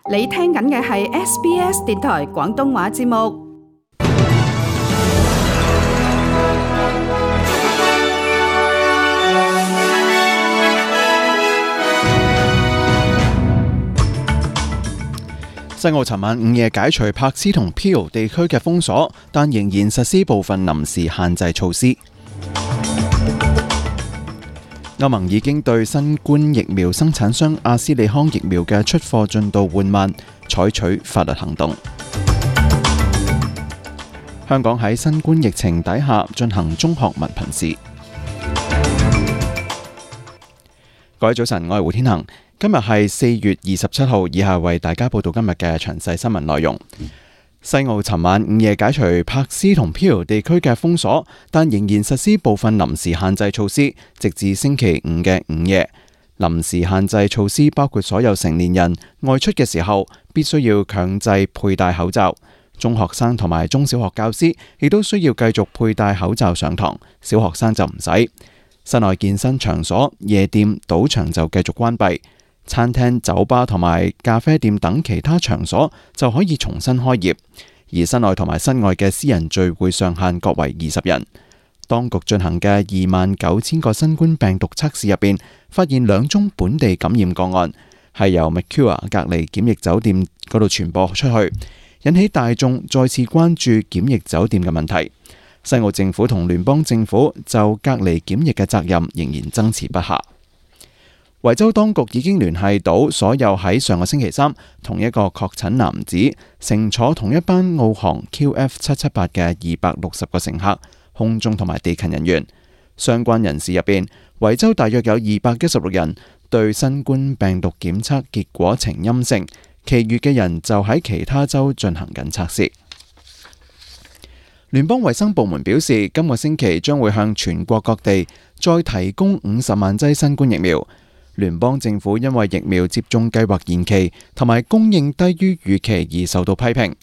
你聽緊嘅係 SBS 電台廣東話節目。西澳尋晚午夜解除柏斯同 Peel 地區嘅封鎖，但仍然實施部分臨時限制措施。歐盟已經對新冠疫苗生產商阿斯利康疫苗嘅出貨進度緩慢，採取法律行動。香港喺新冠疫情底下進行中學文憑試。各位早晨，我係胡天恒。今日係4月27號，以下為大家報道今日嘅詳細新聞內容。西澳尋晚午夜解除柏斯同 Peel 地區嘅封鎖，但仍然實施部分臨時限制措施，直至星期五嘅午夜。臨時限制措施包括所有成年人外出嘅時候必須要強制佩戴口罩，中學生同埋中小學教師亦都需要繼續佩戴口罩上堂，小學生就唔使。室內健身場所、夜店、賭場就繼續關閉。餐廳、酒吧同埋咖啡店等其他場所就可以重新開業，而室內同埋室外嘅私人聚會上限各為20人。當局進行嘅29,000個新冠病毒測試入邊，發現2宗本地感染個案，係由 Macquarie 隔離檢疫酒店嗰度傳播出去，引起大眾再次關注檢疫酒店嘅問題。西澳政府同聯邦政府就隔離檢疫嘅責任仍然爭持不下。維州當局已經聯繫到所有喺上個星期三同一個確診男子乘坐同一班澳航 QF778 嘅260個乘客、空中同埋地勤人員。相關人士入邊，維州大約有216人對新冠病毒檢測結果呈陰性，其餘嘅人就喺其他州進行緊測試。聯邦衛生部門表示，今個星期將會向全國各地再提供50萬劑新冠疫苗。聯邦政府因為疫苗接種計劃延期同埋供應低於預期而受到批評。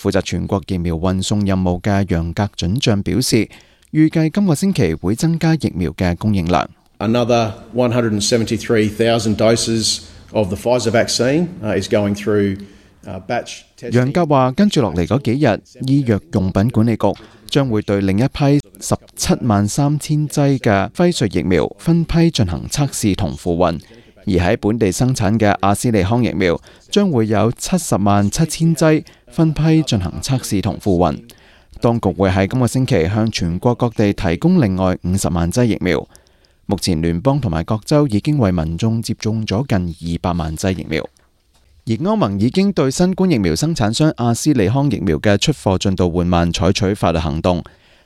負責全國疫苗運送任務嘅楊格准將表示，預計今個星期會增加疫苗嘅供應量。Another 173,000 doses of the Pfizer vaccine is going through batch testing. 楊格話，跟住落嚟嗰幾日，醫藥用品管理局將會對另一批173,000劑嘅輝瑞疫苗分批進行測試同付運，而喺本地生產嘅阿斯利康疫苗將會有707,000劑分批進行測試同付運。當局會喺今個星期向全國各地提供另外50萬劑疫苗。目前聯邦同埋各州已經為民眾接種咗近200萬劑疫苗。而歐盟已經對新冠疫苗生產商阿斯利康疫苗嘅出貨進度緩慢採取法律行動。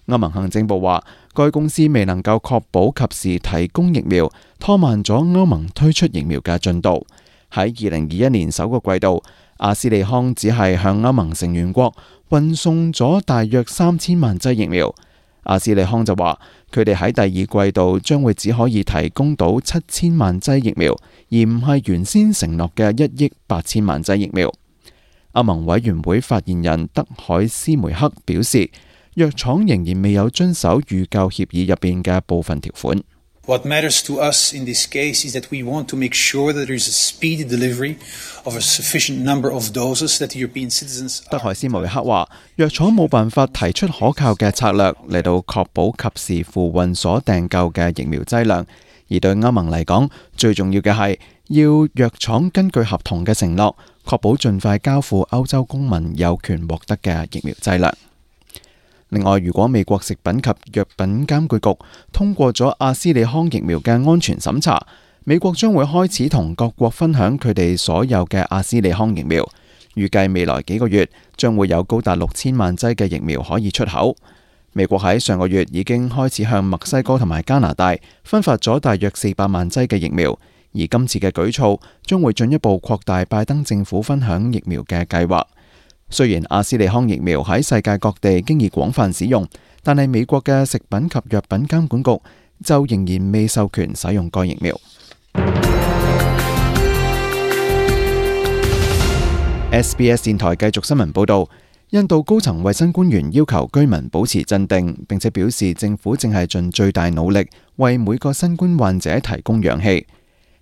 歐盟行政部話，該公司未能夠確保及時提供疫苗，拖慢咗歐盟推出疫苗嘅進度。喺2021年首個季度，阿斯利康只係向歐盟成員國運送咗大約3000萬劑疫苗。阿斯利康就話，佢哋喺第二季度將會只可以提供到7000萬劑疫苗，而唔係原先承諾嘅1億8千萬劑疫苗。歐盟委員會發言人德海斯梅克表示，藥廠仍然未有遵守預購協議入邊嘅部分條款。What matters to us in this case is that we want to make sure that there is a speedy delivery of a sufficient number of doses that European citizens. 德海斯梅克話，藥廠冇辦法提出可靠嘅策略嚟到確保及時付運所訂購嘅疫苗劑量，而對歐盟嚟講，最重要嘅係要藥廠根據合同嘅承諾，確保盡快交付歐洲公民有權獲得嘅疫苗劑量。另外，如果美國食品及藥品監管局通過咗阿斯利康疫苗嘅安全審查，美國將會開始同各國分享佢哋所有嘅阿斯利康疫苗。預計未來幾個月將會有高達6000萬劑嘅疫苗可以出口。美國喺上個月已經開始向墨西哥同埋加拿大分發咗大約400萬劑嘅疫苗，而今次嘅舉措將會進一步擴大拜登政府分享疫苗嘅計劃。雖然阿斯利康疫苗喺世界各地經已廣泛使用，但係美國嘅食品及藥品監管局就仍然未授權使用該疫苗。SBS 電台繼續新聞報導，印度高層衛生官員要求居民保持鎮定，並且表示政府正係盡最大努力為每個新冠患者提供氧氣。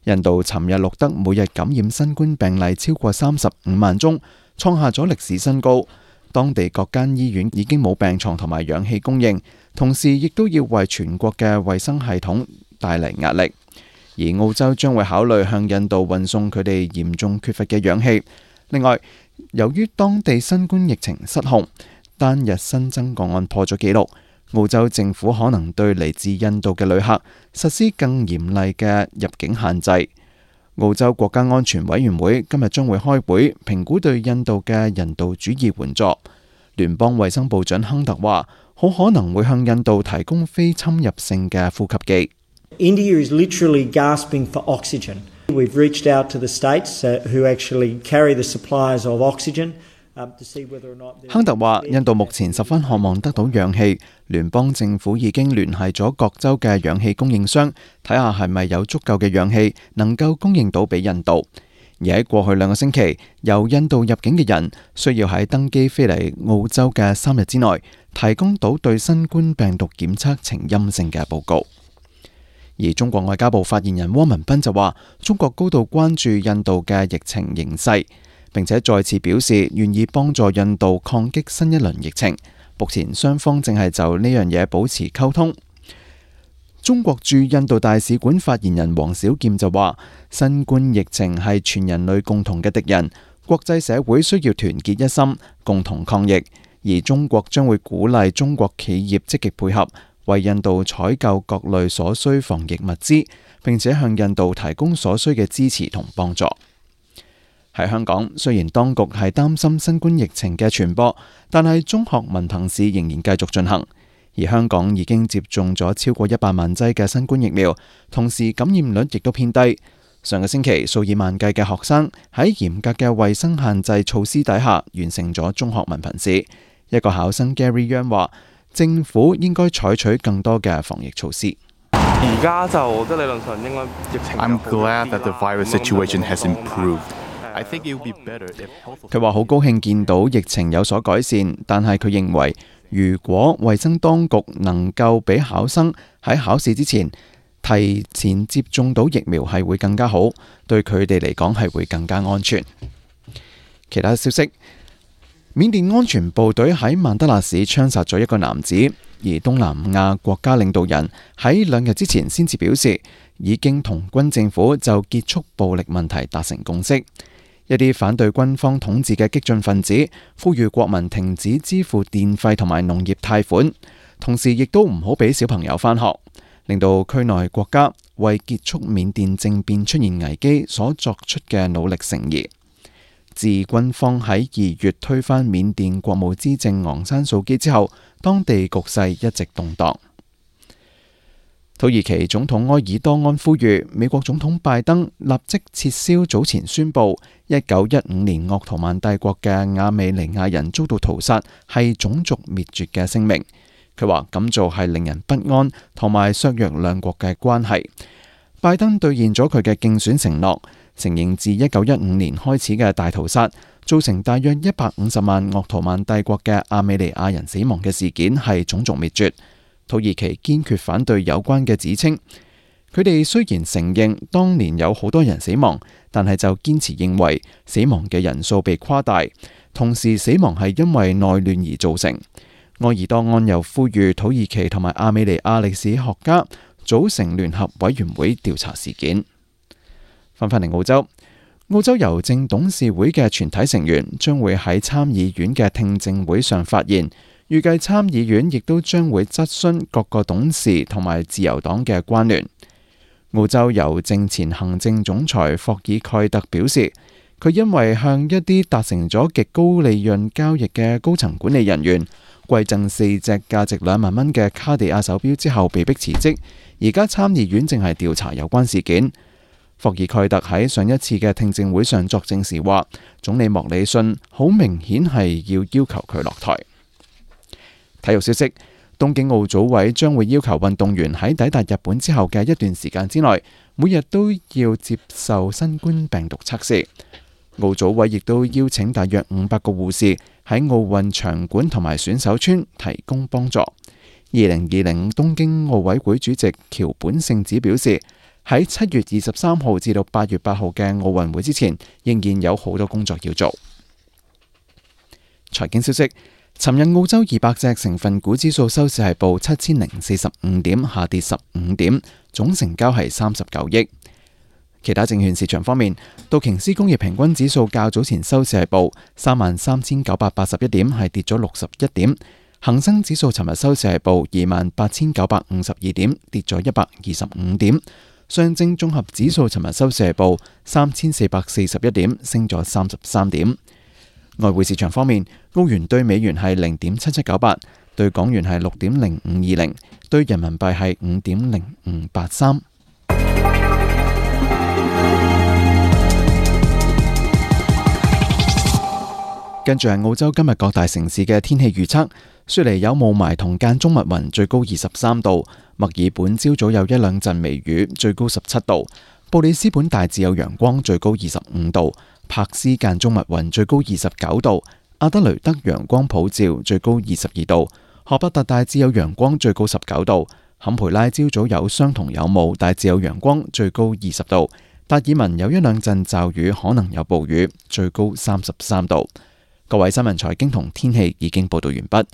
印度尋日錄得每日感染新冠病例超過35萬宗，創下咗歷史新高。當地各間醫院已經冇病床同埋氧氣供應，同時亦都要為全國嘅衛生系統帶嚟壓力。而澳洲將會考慮向印度運送佢哋嚴重缺乏嘅氧氣。另外，由於當地新冠疫情失控，單日新增個案破咗紀錄，澳洲政府可能對嚟自印度嘅旅客實施更嚴厲嘅入境限制。澳洲國家安全委員會今日將會開會評估對印度嘅人道主義援助。聯邦衛生部長亨特話，好可能會向印度提供非侵入性嘅呼吸機。India is literally gasping for oxygen. We've reached out to the states who actually carry the supplies of oxygen. 亨特話：印度目前十分渴望得到氧氣，聯邦政府已經聯繫咗各州嘅氧氣供應商，睇下係咪有足夠嘅氧氣能夠供應到俾印度。而喺過去2個星期，由印度入境嘅人需要喺登機飛嚟澳洲嘅3日之內，提供到對新冠病毒檢測呈陰性嘅報告。而中國外交部發言人汪文斌就話：中國高度關注印度嘅疫情形勢，並且再次表示願意幫助印度抗擊新一輪疫情。目前雙方正係就呢樣嘢保持溝通。中國駐印度大使館發言人黃小劍就話：新冠疫情係全人類共同嘅敵人，國際社會需要團結一心，共同抗疫。而中國將會鼓勵中國企業積極配合，為印度採購各類所需防疫物資，並且向印度提供所需嘅支持同幫助。喺香港，雖然當局係擔心新冠疫情嘅傳播，但係中學文憑試仍然繼續進行。而香港已經接種咗超過100萬劑嘅新冠疫苗，同時感染率亦都偏低。上個星期，數以萬計嘅學生喺嚴格嘅衛生限制措施底下完成咗中學文憑試。一個考生 Gary Young 話：政府應該採取更多嘅防疫措施。而家就我覺得理論上應該疫情。I'm glad that the virus situation has improved. I think it would be better if. 佢話好高興見到疫情有所改善，但係佢認為如果衛生當局能夠俾考生喺考試之前提前接種到疫苗，係會更加好，對佢哋嚟講係會更加安全。其他消息。緬甸安全部隊喺曼德勒市槍殺咗一個男子，而東南亞國家領導人喺2日之前先至表示，已經同軍政府就結束暴力問題達成共識。一啲反對軍方統治嘅激進分子呼籲國民停止支付電費同埋農業貸款，同時亦都唔好俾小朋友返學，令到區內國家為結束緬甸政變出現危機所作出嘅努力成疑。自軍方喺2月推翻緬甸國務資政昂山素基之後，當地局勢一直動盪。土耳其總統埃爾多安呼籲美國總統拜登立即撤銷早前宣布1915年鄂圖曼帝國嘅亞美尼亞人遭到屠殺係種族滅絕嘅聲明。佢話咁做係令人不安，同埋削弱兩國嘅關係。拜登兌現咗佢嘅競選承諾，承認自1915年開始嘅大屠殺造成大約150萬鄂圖曼帝國嘅亞美尼亞人死亡嘅事件係種族滅絕。土耳其堅決反對有關嘅指稱。佢哋雖然承認當年有好多人死亡，但係就堅持認為死亡嘅人數被誇大，同時死亡係因為內亂而造成。埃爾多安又呼籲土耳其同埋亞美尼亞歷史學家組成聯合委員會調查事件。翻返嚟澳洲，澳洲郵政董事會嘅全體成員將會喺參議院嘅聽證會上發言，預計參議院亦都將會質詢各個董事同埋自由黨嘅關聯。澳洲郵政前行政總裁霍爾蓋特表示，佢因為向一啲達成咗極高利潤交易嘅高層管理人員饋贈4隻價值2萬蚊嘅卡地亞手錶之後被迫辭職，而家參議院正係調查有關事件。霍爾蓋特喺上一次嘅聽證會上作證時話，總理莫里遜好明顯係要求佢落台。體育消息，東京奧組委將會要求運動員喺抵達日本之後嘅一段時間之內，每日都要接受新冠病毒測試。奧組委亦都邀請大約500個護士喺奧運場館同埋選手村提供幫助。2020東京奧委會主席橋本聖子表示，喺7月23號至到8月8號嘅奧運會之前，仍然有好多工作要做。財經消息，尋日澳洲200隻成分股指數收市係報7045點，下跌15點，總成交係39億。其他證券市場方面，道瓊斯工業平均指數較早前收市係報33981點，係跌咗61點。恒生指數尋日收市係報28952點，跌咗125點。上證綜合指數尋日收市係報3441點，升咗33點。外匯市場方面，澳元對美元係0.7798，對港元係6.0520，對人民幣係5.0583。跟住係澳洲今日各大城市嘅天氣預測。雪梨有霧霾同間中密雲，最高23度；墨爾本朝早有一兩陣微雨，最高17度；布里斯本大致有陽光，最高25度；柏斯間中密雲，最高29度；阿德雷德陽光普照，最高22度；荷伯特大致有陽光，最高19度；坎培拉朝早有霜同有霧，大致有陽光，最高20度；達爾文有一兩陣驟雨，可能有暴雨，最高33度。各位新聞財經同天氣已經報道完畢。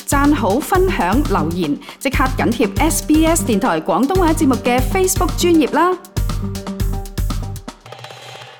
讚好、分享、留言，即刻緊貼SBS 電台廣東話節目嘅 Facebook 專頁啦！